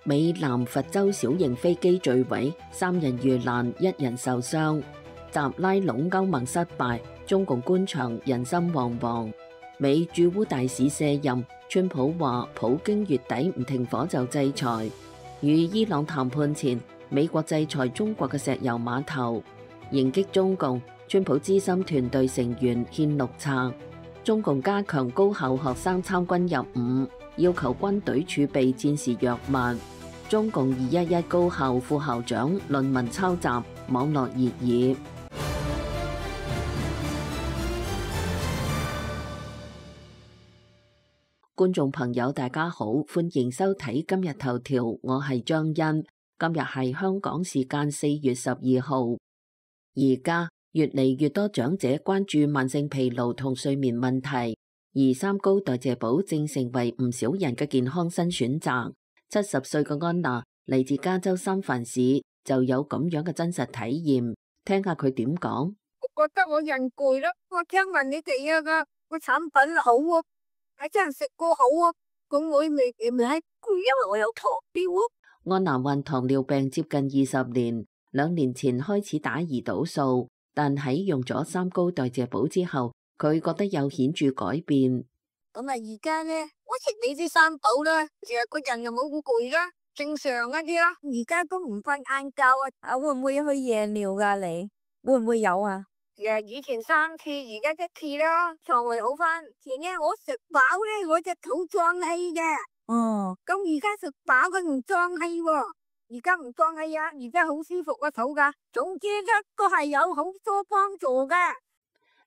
美南佛州小型飛機墜毀，3人遇難，1人受傷。習拉攏歐盟失敗，中共官場人心惶惶。美駐烏大使卸任，川普話普京月底唔停火就制裁。與伊朗談判前，美國制裁中國嘅石油碼頭。迎擊中共，川普資深團隊成員獻綠冊。中共加強高校學生參軍入伍，要求軍隊儲備戰時藥物。中共211高校副校長論文抄襲，網絡熱議。觀眾朋友大家好，歡迎收睇今日頭條，我係張欣。今日係香港時間4月12號。而家越嚟越多長者關注慢性疲勞同睡眠問題，而三高代謝寶正成為唔少人嘅健康新選擇。70歲嘅安娜嚟自加州三藩市，就有咁樣嘅真實體驗，聽下佢點講。我覺得我人攰咯，我聽聞你哋個產品好啊，係真係食過好啊，咁我未係攰，因為我有糖尿啊。安娜患糖尿病接近20年，2年前開始打胰島素，但喺用咗三高代謝寶之後，佢覺得有顯著改變。咁啊，而家咧，我食你啲三寶啦，成日個人又冇咁攰啦，正常一啲啦。而家都唔瞓晏覺啊！會唔會去夜尿噶？你會唔會有啊？以前3次，而家1次啦，腸胃好翻。前日我食飽咧，我隻肚脹氣嘅。哦，咁而家食飽佢唔脹氣喎，而家唔脹氣啊，而家好舒服個肚噶。總之咧，都係有好多幫助嘅。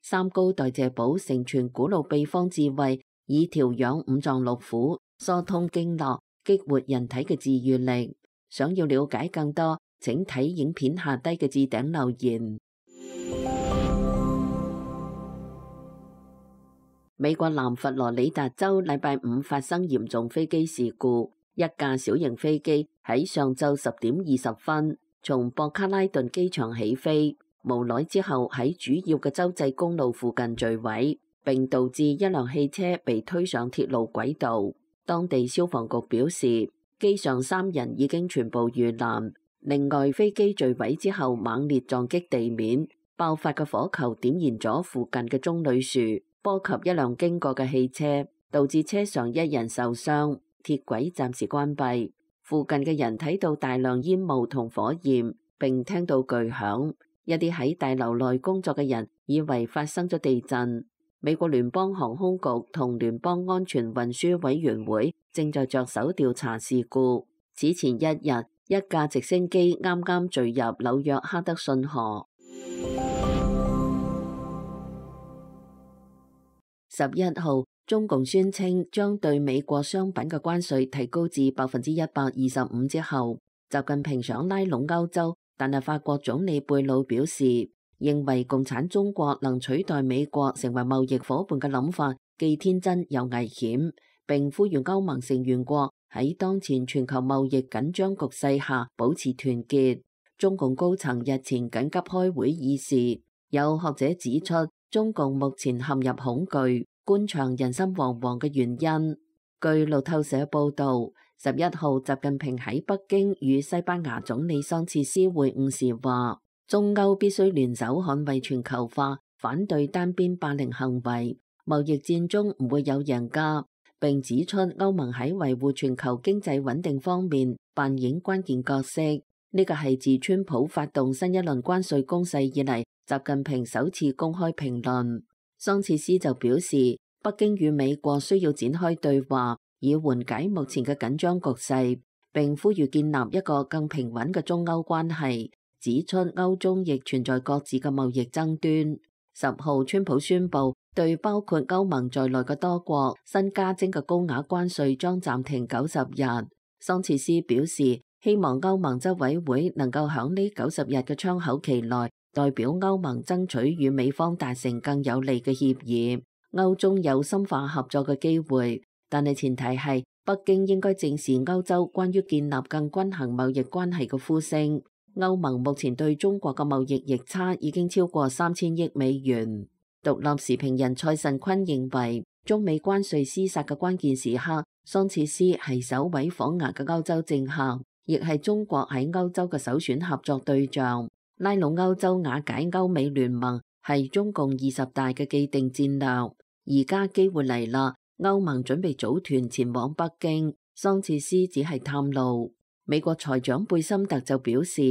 三高代謝寶承傳古老秘方智慧，以調養五臟六腑、疏通經絡、激活人體嘅治癒力。想要了解更多，請睇影片下低嘅置頂留言。美國南佛羅里達州禮拜五發生嚴重飛機事故，一架小型飛機喺上晝10點20分從博卡拉頓機場起飛，無耐之後喺主要嘅州際公路附近墜毀，並導致一輛汽車被推上鐵路軌道。當地消防局表示，機上3人已經全部遇難。另外，飛機墜毀之後猛烈撞擊地面，爆發嘅火球點燃咗附近嘅棕櫚樹，波及一輛經過嘅汽車，導致車上1人受傷。鐵軌暫時關閉。附近嘅人睇到大量煙霧同火焰，並聽到巨響。一啲喺大樓內工作嘅人以為發生咗地震。美國聯邦航空局同聯邦安全運輸委員會正在着手調查事故。此前1日，一架直升機啱啱墜入紐約哈德遜河。11號，中共宣稱將對美國商品嘅關稅提高至125%之後，習近平想拉攏歐洲，但係法國總理貝魯表示，認為共產中國能取代美國成為貿易夥伴嘅諗法既天真又危險，並呼籲歐盟成員國喺當前全球貿易緊張局勢下保持團結。中共高層日前緊急開會議事，有學者指出，中共目前陷入恐懼、官場人心惶惶嘅原因。據路透社報道，11號習近平喺北京與西班牙總理桑切斯會晤時話，中歐必須聯手捍衛全球化，反對單邊霸凌行為。貿易戰中唔會有贏家，並指出歐盟喺維護全球經濟穩定方面扮演關鍵角色。呢個係自川普發動新一輪關稅攻勢以嚟，習近平首次公開評論。桑切斯就表示，北京與美國需要展開對話，以緩解目前嘅緊張局勢，並呼籲建立一個更平穩嘅中歐關係，指出歐中亦存在各自嘅貿易爭端。10號，川普宣布對包括歐盟在內嘅多國新加徵嘅高額關稅將暫停90日。桑切斯表示，希望歐盟執委會能夠響呢90日嘅窗口期內，代表歐盟爭取與美方達成更有利嘅協議。歐中有深化合作嘅機會，但係前提係北京應該正視歐洲關於建立更均衡貿易關係嘅呼聲。歐盟目前對中國嘅貿易逆差已經超過3000億美元。獨立時評人蔡慎坤認為，中美關稅廝殺嘅關鍵時刻桑切斯係首位訪華嘅歐洲政客，亦係中國喺歐洲嘅首選合作對象。拉攏歐洲瓦解歐美聯盟係中共20大嘅既定戰略，而家機會嚟啦，歐盟準備組團前往北京，桑切斯只係探路。美國財長貝森特就表示，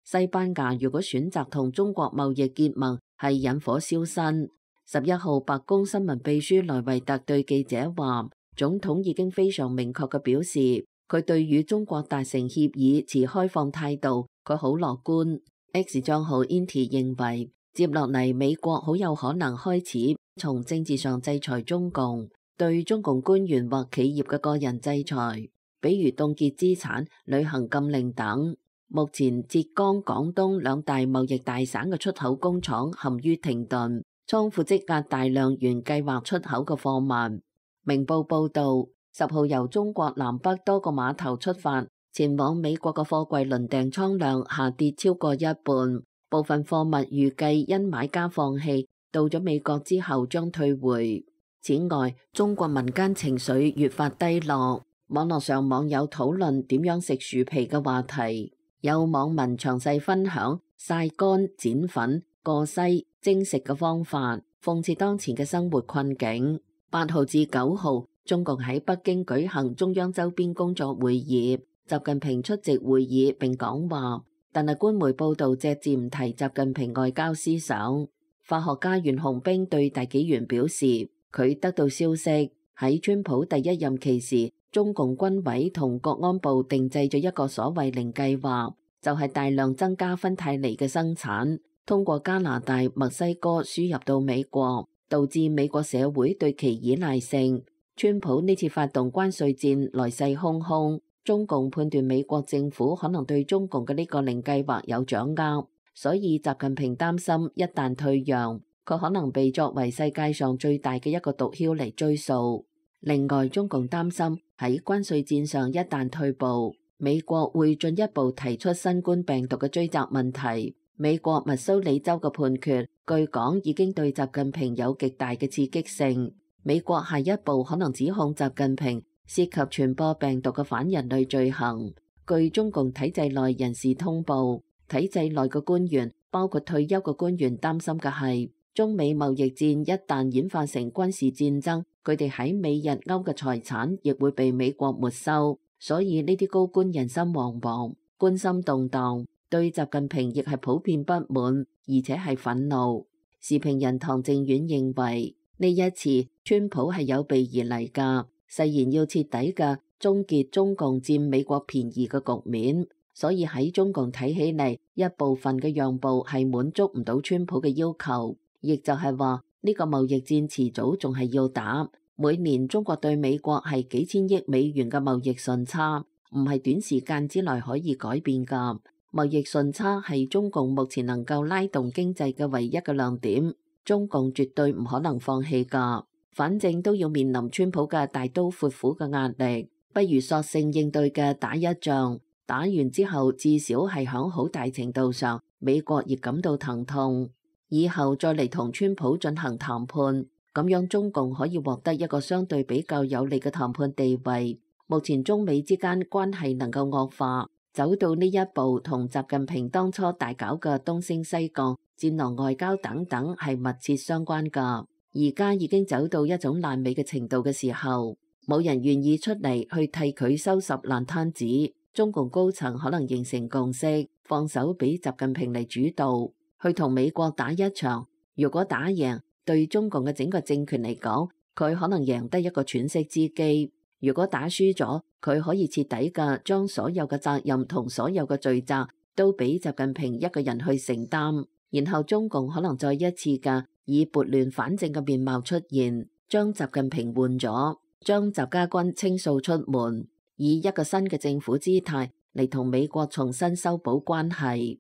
西班牙如果選擇同中國貿易結盟係引火燒身。11號白宮新聞秘書萊維特對記者話，總統已經非常明確嘅表示，佢對與中國達成協議持開放態度，佢好樂觀。X 帳號 Inti 認為，接落嚟美國好有可能開始從政治上制裁中共，對中共官員或企業嘅個人制裁，比如凍結資產、旅行禁令等。目前浙江、廣東兩大貿易大省嘅出口工廠陷於停頓，倉庫積壓大量原計劃出口嘅貨物。明報報導，10號由中國南北多個碼頭出發前往美國嘅貨櫃輪訂倉量下跌超過一半，部分貨物預計因買家放棄，到咗美國之後將退回。此外，中國民間情緒越發低落，網絡上網友討論點樣食薯皮嘅話題，有網民詳細分享曬乾、剪粉、過篩、蒸食嘅方法，諷刺當前嘅生活困境。8號至9號，中共喺北京舉行中央周邊工作會議，習近平出席會議並講話，但係官媒報導隻字唔提習近平外交思想。法學家袁洪兵對大紀元表示，佢得到消息喺川普第一任期時，中共軍委同國安部定製咗一個所謂零計劃，就係大量增加芬太尼嘅生產，通過加拿大、墨西哥輸入到美國，導致美國社會對其依賴性。川普呢次發動關稅戰來勢洶洶，中共判斷美國政府可能對中共嘅呢個零計劃有掌握，所以習近平擔心一旦退讓，佢可能被作為世界上最大嘅一個毒梟嚟追溯。另外，中共擔心喺關稅戰上一旦退步，美國會進一步提出新冠病毒嘅追責問題。美國密蘇里州嘅判決，據講已經對習近平有極大嘅刺激性。美國下一步可能指控習近平涉及傳播病毒嘅反人類罪行。據中共體制內人士通報，體制內嘅官員，包括退休嘅官員，擔心嘅係中美貿易戰一旦演化成軍事戰爭，佢哋喺美日歐嘅財產亦會被美國沒收。所以呢啲高官人心惶惶，軍心動盪，對習近平亦係普遍不滿，而且係憤怒。時評人唐正遠認為，呢一次川普係有備而嚟㗎，誓言要徹底嘅終結中共佔美國便宜嘅局面。所以喺中共睇起嚟，一部分嘅讓步係滿足唔到川普嘅要求，亦就係話呢個貿易戰遲早仲係要打。每年中國對美國係幾千億美元嘅貿易順差，唔係短時間之內可以改變㗎。貿易順差係中共目前能夠拉動經濟嘅唯一嘅亮點，中共絕對唔可能放棄㗎。反正都要面臨川普嘅大刀闊斧嘅壓力，不如索性應對嘅打一仗，打完之後至少係響好大程度上美國亦感到疼痛，以後再嚟同川普進行談判。咁樣中共可以獲得一個相對比較有利嘅談判地位。目前中美之間關係能夠惡化，走到呢一步，同習近平當初大搞嘅東升西降、戰狼外交等等係密切相關㗎。而家已經走到一種爛尾嘅程度嘅時候，冇人願意出嚟去替佢收拾爛攤子。中共高層可能形成共識，放手俾習近平嚟主導，去同美國打一場。如果打贏，對中共嘅整個政權嚟講，佢可能贏得一個喘息之機。如果打輸咗，佢可以徹底嘅將所有嘅責任同所有嘅罪責都俾習近平一個人去承擔，然後中共可能再一次嘅以撥亂反正嘅面貌出現，將習近平換咗，將習家軍清掃出門，以一個新嘅政府姿態嚟同美國重新修補關係。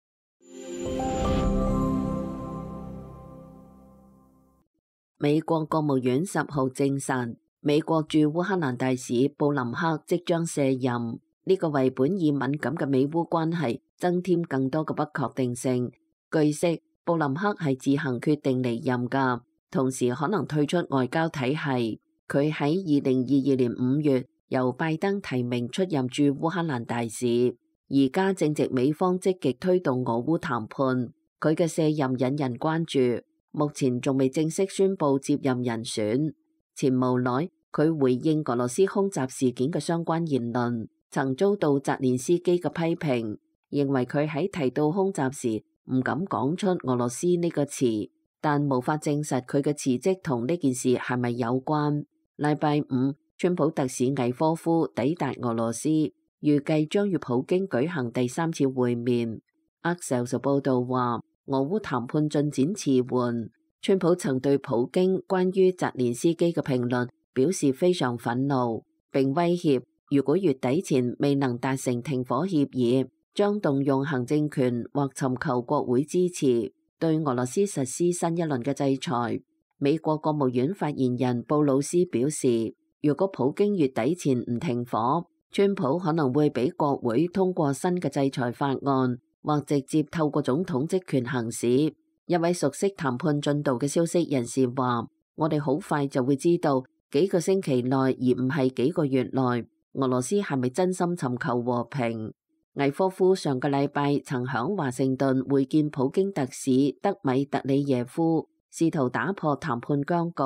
美國國務院10號證實，美國駐烏克蘭大使布林克即將卸任，呢個為本已敏感嘅美烏關係增添更多嘅不確定性。據悉，布林克係自行決定離任㗎，同時可能退出外交體系。佢喺2022年5月由拜登提名出任駐烏克蘭大使，而家正值美方積極推動俄烏談判，佢嘅卸任引人關注，目前仲未正式宣布接任人選。前無耐，佢回應俄羅斯空襲事件嘅相關言論，曾遭到澤連斯基嘅批評，認為佢喺提到空襲時唔敢講出俄羅斯呢個詞，但無法證實佢嘅辭職同呢件事係咪有關。禮拜五，川普特使魏科夫抵達俄羅斯，預計將與普京舉行第3次會面。Axios 報道話，俄烏談判進展遲緩。川普曾對普京關於澤連斯基嘅評論表示非常憤怒，並威脅如果月底前未能達成停火協議，將動用行政權或尋求國會支持，對俄羅斯實施新一輪嘅制裁。美國國務院發言人布魯斯表示，如果普京月底前唔停火，川普可能會俾國會通過新嘅制裁法案，或直接透過總統職權行使。一位熟悉談判進度嘅消息人士話，我哋好快就會知道幾個星期內，而唔係幾個月內，俄羅斯係咪真心尋求和平。魏科夫上個禮拜曾響華盛頓會見普京特使德米特里耶夫，試圖打破談判僵局。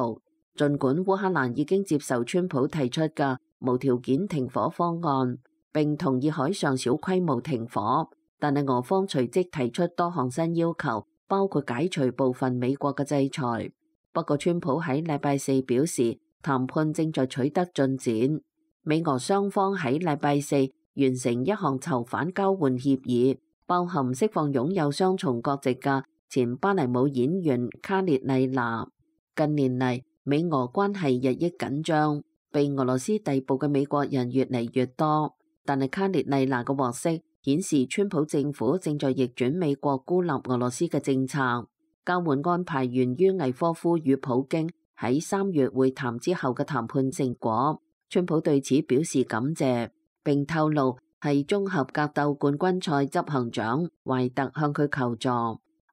儘管烏克蘭已經接受川普提出嘅無條件停火方案，並同意海上小規模停火，但係俄方隨即提出多項新要求，包括解除部分美國嘅制裁。不過川普喺禮拜四表示，談判正在取得進展。美俄雙方喺禮拜四完成一項囚犯交換協議，包含釋放擁有雙重國籍嘅前巴黎舞演員卡列麗娜。近年嚟，美俄關係日益緊張，被俄羅斯逮捕嘅美國人越嚟越多。但係卡列麗娜嘅獲釋顯示，川普政府正在逆轉美國孤立俄羅斯嘅政策。交換安排源於魏科夫與普京喺3月會談之後嘅談判成果。川普對此表示感謝，並透露係綜合格鬥冠軍賽執行長懷特向佢求助，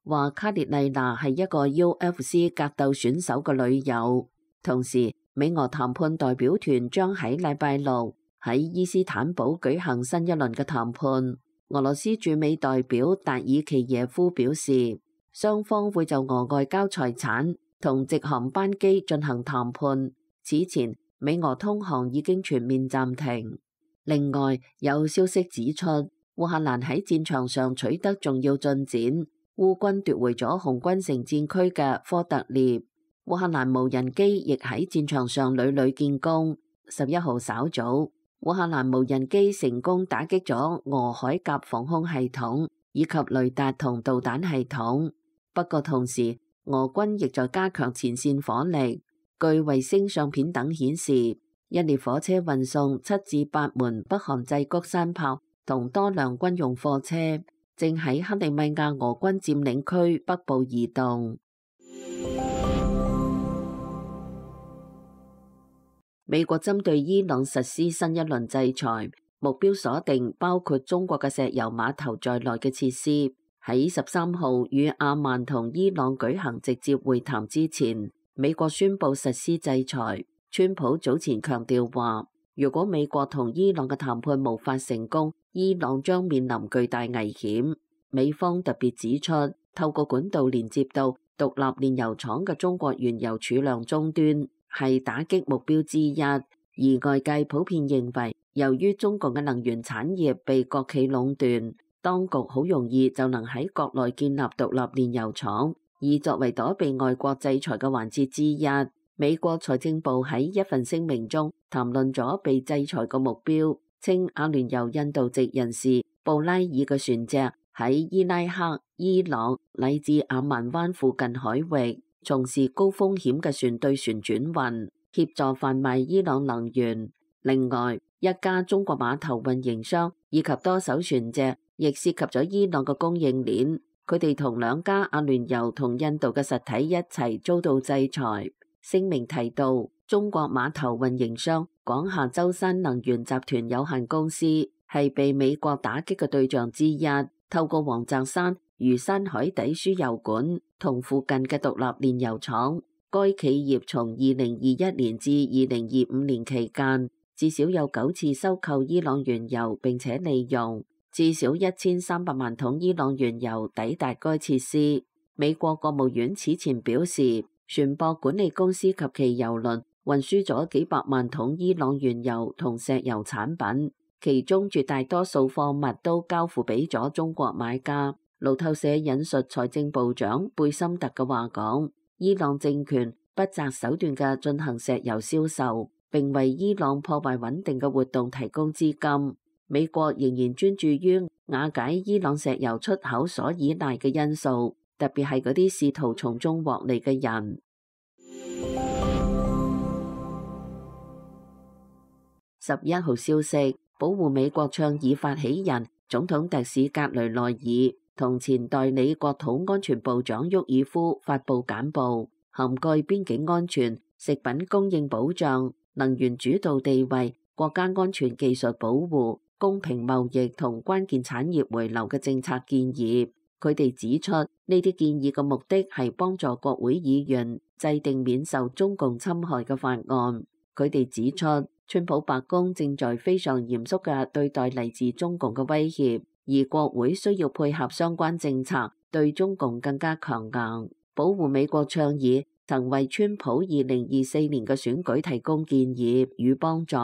話卡列麗娜係一個 UFC 格鬥選手嘅女友。同時，美俄談判代表團將喺禮拜六喺伊斯坦堡舉行新一輪嘅談判。俄羅斯駐美代表達爾奇耶夫表示，雙方會就俄外交財產同直航班機進行談判。此前，美俄通航已經全面暫停。另外，有消息指出，烏克蘭喺戰場上取得重要進展，烏軍奪回咗紅軍城戰區嘅科特列。烏克蘭無人機亦喺戰場上屢屢建功。11號稍早，烏克蘭無人機成功打擊咗俄海鴿防空系統以及雷達同導彈系統。不過同時，俄軍亦在加強前線火力。據衛星相片等顯示，一列火車運送7至8門北韓製谷山炮同多輛軍用貨車，正喺克里米亞俄軍佔領區北部移動。美國針對伊朗實施新一輪制裁，目標鎖定包括中國嘅石油碼頭在內嘅設施。喺13號與阿曼同伊朗舉行直接會談之前，美國宣布實施制裁。川普早前強調話，如果美國同伊朗嘅談判無法成功，伊朗將面臨巨大危險。美方特別指出，透過管道連接到獨立煉油廠嘅中國原油儲量終端係打擊目標之一。而外界普遍認為，由於中國嘅能源產業被國企壟斷，當局好容易就能喺國內建立獨立煉油廠，以作為躲避外國制裁嘅環節之一。美國財政部喺一份聲明中談論咗被制裁嘅目標，稱阿聯酋印度籍人士布拉爾嘅船隻喺伊拉克、伊朗乃至阿曼灣附近海域從事高風險嘅船對船轉運，協助販賣伊朗能源。另外，一家中國碼頭運營商以及多艘船隻亦涉及咗伊朗嘅供應鏈，佢哋同2家阿聯酋同印度嘅實體一齊遭到制裁。聲明提到，中國碼頭運營商廣夏舟山能源集團有限公司係被美國打擊嘅對象之一，透過王澤山魚山海底輸油管同附近嘅獨立煉油廠，該企業從2021年至2025年期間，至少有9次收購伊朗原油並且利用，至少1300萬桶伊朗原油抵達該設施。美國國務院此前表示，船舶管理公司及其油輪運輸咗幾百萬桶伊朗原油同石油產品，其中絕大多數貨物都交付俾咗中國買家。路透社引述財政部長貝森特嘅話講，伊朗政權不擇手段嘅進行石油銷售，並為伊朗破壞穩定嘅活動提供資金。美國仍然專注於瓦解伊朗石油出口所依賴嘅因素，特別係嗰啲試圖從中獲利嘅人。11號消息，保護美國倡議發起人總統特使格雷內爾同前代理國土安全部長沃爾夫發布簡報，涵蓋邊境安全、食品供應保障、能源主導地位、國家安全技術保護、公平貿易同關鍵產業回流嘅政策建議。佢哋指出，呢啲建議嘅目的係幫助國會議員制定免受中共侵害嘅法案。佢哋指出，川普白宮正在非常嚴肅嘅對待嚟自中共嘅威脅，而國會需要配合相關政策，對中共更加強硬。保護美國倡議曾為川普2024年嘅選舉提供建議與幫助。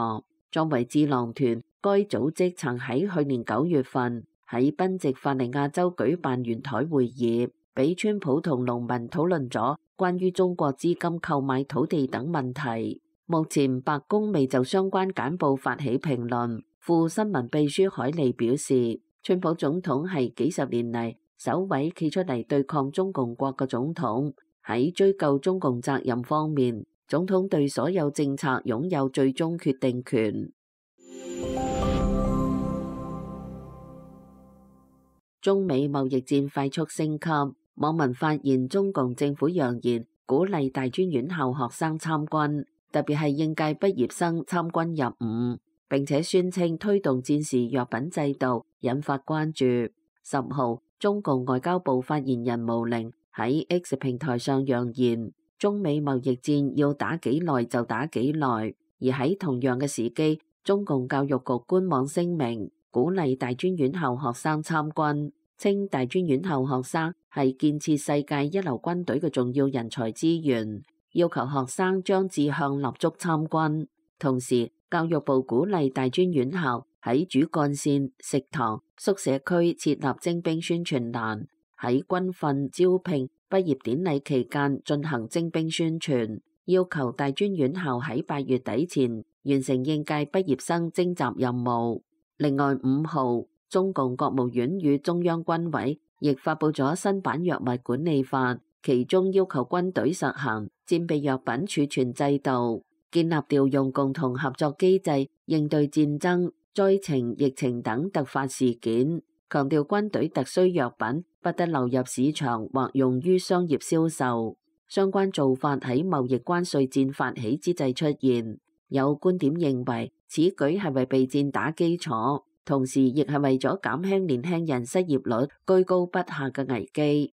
作為智囊團，該組織曾喺去年9月份喺賓夕法尼亞州舉辦圓台會議，俾川普同農民討論咗關於中國資金購買土地等問題。目前白宮未就相關簡報發起評論。副新聞秘書海利表示，川普總統係幾十年嚟首位企出嚟對抗中共國嘅總統。喺追究中共責任方面，總統對所有政策擁有最終決定權。中美貿易戰快速升級，網民發現中共政府揚言鼓勵大專院校學生參軍，特別係應屆畢業生參軍入伍，並且宣稱推動戰時藥品制度，引發關注。10號，中共外交部發言人毛寧喺 X 平台上揚言，中美貿易戰要打幾耐就打幾耐。而喺同樣嘅時機，中共教育局官網聲明，鼓勵大專院校學生參軍，稱大專院校學生係建設世界一流軍隊嘅重要人才資源，要求學生將志向立足參軍。同時，教育部鼓勵大專院校喺主幹線、食堂、宿舍區設立徵兵宣傳欄，喺軍訓、招聘、畢業典禮期間進行徵兵宣傳，要求大專院校喺8月底前完成應屆畢業生徵集任務。另外5號，中共國務院與中央軍委亦發布咗新版藥物管理法，其中要求軍隊實行戰備藥品儲存制度，建立調用共同合作機制，應對戰爭、災情、疫情等突發事件，強調軍隊特需藥品不得流入市場或用於商業銷售。相關做法喺貿易關稅戰發起之際出現，有觀點認為此舉係為備戰打基礎，同時亦係為咗減輕年輕人失業率居高不下嘅危機。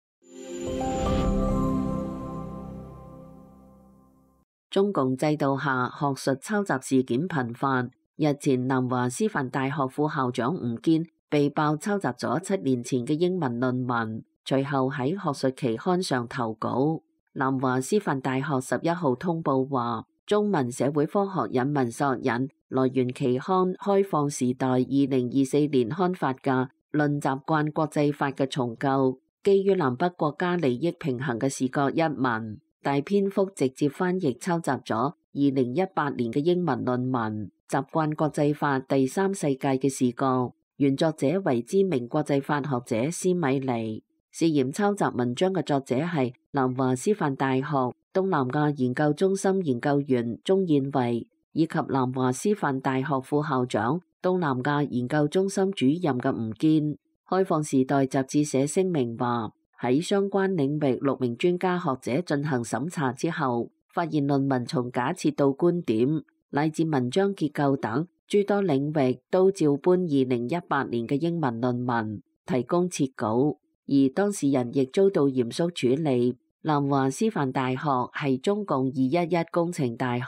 中共制度下學術抄襲事件頻繁，日前南華師範大學副校長吳堅被爆抄襲咗7年前嘅英文論文，隨後喺學術期刊上投稿。南華師範大學11號通報話，中文社會科學引文索引來源期刊《開放時代》2024年刊發嘅《論習慣國際法嘅重構》，基於南北國家利益平衡嘅視角一文，大篇幅直接翻譯抄襲咗2018年嘅英文論文《習慣國際法第三世界嘅視角》，原作者為知名國際法學者施米尼。涉嫌抄襲文章嘅作者係南華師範大學東南亞研究中心研究員鍾燕慧，以及南華師範大學副校長、東南亞研究中心主任嘅吳堅。開放時代雜誌社聲明話，喺相關領域6名專家學者進行審查之後，發現論文從假設到觀點乃至文章結構等諸多領域都照搬2018年嘅英文論文，提供設稿。而當事人亦遭到嚴肅處理。南華師範大學係中共211工程大學，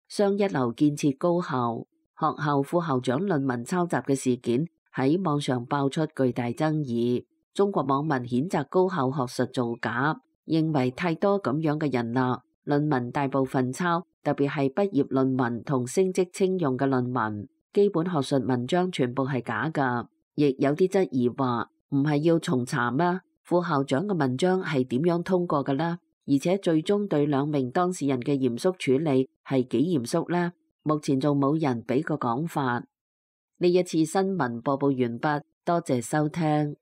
雙一流建設高校。學校副校長論文抄襲嘅事件喺網上爆出巨大爭議。中國網民譴責高校學術造假，認為太多咁樣嘅人啦，論文大部分抄，特別係畢業論文同升職稱用嘅論文，基本學術文章全部係假㗎。亦有啲質疑話，唔係要重查咩？副校長嘅文章係點樣通過㗎啦？而且最終對兩名當事人嘅嚴肅處理係幾嚴肅呢？目前仲冇人俾個講法。呢一次新聞播報完畢，多謝收聽。